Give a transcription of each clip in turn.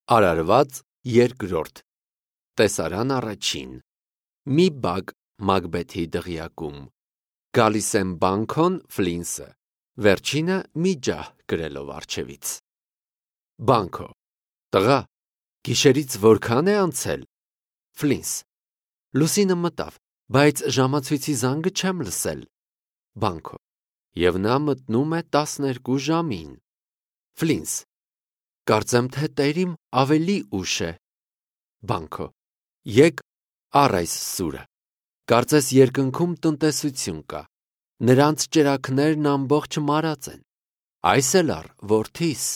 Արարված երկրորդ Տեսարան առաջին Մի բակ Մակբեթի դղյակում Գալիս եմ Բանքոն Ֆլինսը Վերջինը մի ջահ կրելով առջևից Բանքո Տղա Գիշերից որքան է անցել Ֆլինս Լուսինը մտավ բայց ժամացույցի զանգը չեմ լսել Բանքո Եվ նա մտնում է 12 ժամին Ֆլինս Կարծեմ թե տերիմ ավելի ուշ է Բանքո Եկ առ այս սուրը Կարծես երկնքում տնտեսություն կա Նրանց ճրագներն ամբողջ մարած են Այս էլ առ որդիս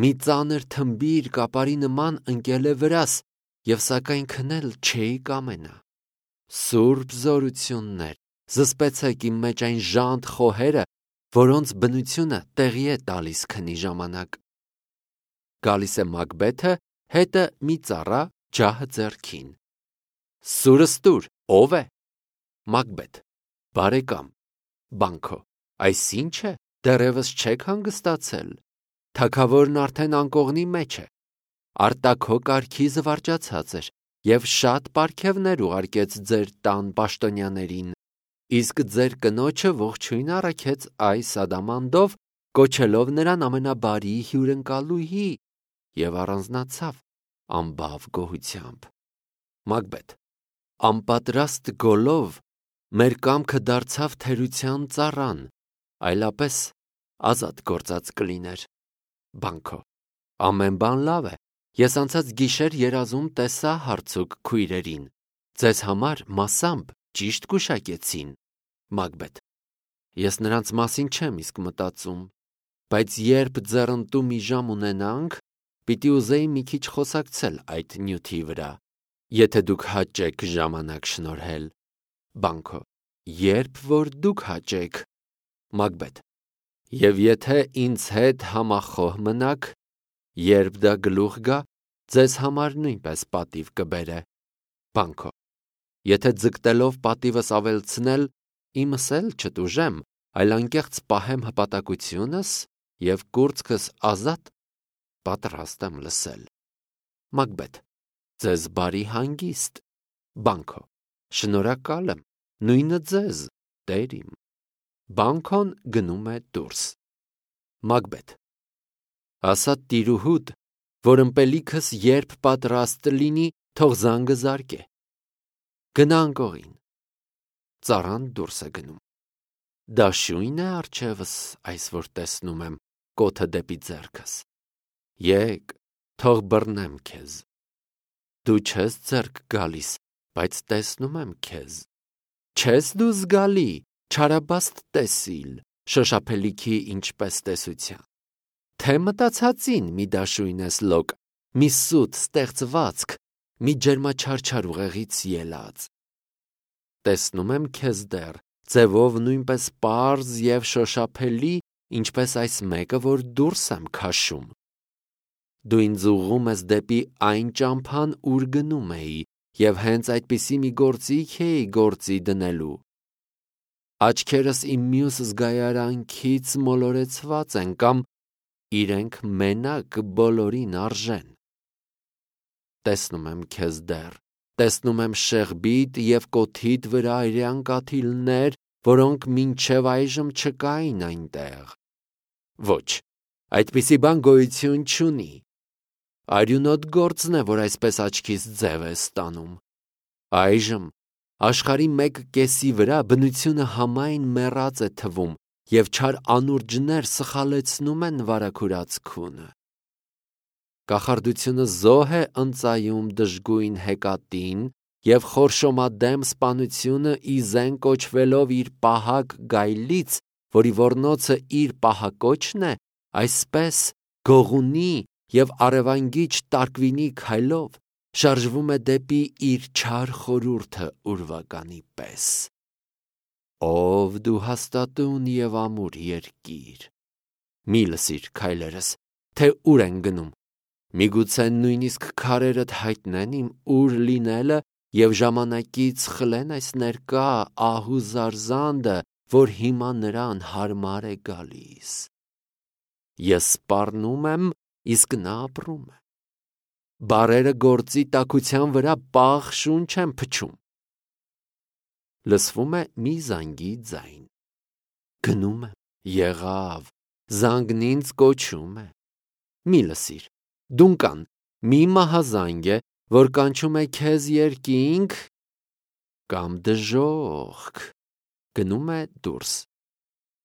Մի ծանր թմբիր կապարի նման ընկել է վրաս Եվ սակայն քնել չէի կամենա Սուրբ զորություններ Զսպեցեք իմ մեջ այն ժանտ խոհերը Որոնց բնությունը տեղի է տալիս քնի ժամանակ Գալիս է Մակբեթը հետը մի ծառա ջահը ձեռքին Սուրս տուր ով է Մակբեթ Բարեկամ Բանքո Այս ինչ է դեռևս չեք հանգստացել Թագավորն արդեն անկողնի մեջ է Արտաքո կարգի զվարճացած էր Եվ շատ պարգևներ ուղարկեց ձեր տան պաշտոնյաներին Իսկ ձեր կնոջը ողջույն առաքեց այս ադամանդով Կոչելով նրան ամենաբարի հյուրընկալուհի Եվ առանձնացավ ամբավ գոհությամբ Մակբեթ Անպատրաստ գոլով մեր կամքը դարձավ թերության ծառան Այլապես ազատ գործած կլիներ Բանքո Ամեն բան լավ է Ես անցած գիշեր երազում տեսա հարցուկ քույրերին Ձեզ համար մասամբ ճիշտ գուշակեցին Մակբեթ Ես նրանց մասին չեմ իսկ մտածում Բայց երբ ձեռնտու մի ժամ ունենանք Պիտի ուզեի մի քիչ խոսակցել այդ նյութի վրա Եթե դուք հաճեք ժամանակ շնորհել Բանքո Երբ որ դուք հաճեք Մակբեթ Եվ եթե ինձ հետ համախոհ մնաք Երբ դա գլուխ գա Ձեզ համար նույնպես պատիվ կբերե Բանքո Եթե ձգտելով պատիվս ավելցնել Իմս էլ չտուժեմ Այլ անկեղծ պահեմ հպատակությունս Եվ կուրծքս ազատ Պատրաստ եմ լսել Մակբեթ Ձեզ բարի հանգիստ Բանքո Շնորհակալ եմ Նույնը ձեզ տերիմ Բանքոն գնում է դուրս Մակբեթ Ասա տիրուհուդ Որ ըմպելիքս երբ պատրաստ լինի Թող զանգը զարկե Գնա անկողին Ծառան դուրս է գնում Դաշույն է առջևս Այս որ տեսնում եմ Կոթը դեպի ձեռքս Եկ թող բռնեմ քեզ Դու չես ձեռք գալիս Բայց տեսնում եմ քեզ Չես դու զգալի Չարաբաստ տեսիլ Շոշափելիքի ինչպես տեսության Թե մտածածին մի դաշույն ես լոկ Մի սուտ ստեղծվածք Մի ջերմաչարչար ուղեղից ելած Տեսնում եմ քեզ դեռ Ձևով նույնպես պարզ և շոշափելի Ինչպես այս մեկը որ դուրս եմ քաշում Դու ինձ ուղղում ես դեպի այն ճամփան ուր գնում էի Եվ հենց այդպիսի մի գործիք էի գործի դնելու Աչքերս իմ մյուս զգայարանքից մոլորեցված են Կամ իրենք մենակ բոլորին արժեն Տեսնում եմ քեզ դեռ Տեսնում եմ շեղբիտ և կոթիդ վրա այրյան կաթիլներ Որոնք մինչև այժմ չկային այնտեղ Ոչ, այդպիսի բան գոյություն չունի Արյունոտ գործն է, որ այսպես աչքից ձև է ստանում Այժմ աշխարհի մեկ կեսի վրա բնությունը համայն մեռած է թվում Եվ չար անուրջներ սխալեցնում են վարագուրած քունը Կախարդությունը զոհ է ընծայում դժգույն հեկատին Եվ խորշոմադեմ սպանությունը իզեն կոչվելով իր պահակ գայլից Որի ոռնոցը իր պահակոչն է Այսպես գողունի և արևանգիչ տարկվինի քայլով Շարժվում է դեպի իր չար խորհուրդը ուրվականի պես Ով դու հաստատուն և ամուր երկիր Մի լսիր քայլերս, թե ուր են գնում Միգուցե նույնիսկ քարերդ հայտնեն իմ ուր լինելը Եվ ժամանակից խլեն այս ներկա ահու զարզանդը Որ հիմա նրան հարմար է գալիս Ես սպառնում եմ, իսկ նա ապրում է Բարերը գործի տաքության վրա պաղ շունչ են փչում։ Լսվում է մի զանգի ձայն։ Գնում եմ, եղավ, զանգն ինձ կոչում է։ Մի լսիր, դունկան, մի մահազանգ է, որ կանչում է քեզ երկինք կամ դժոխք։ Գնում է դուրս։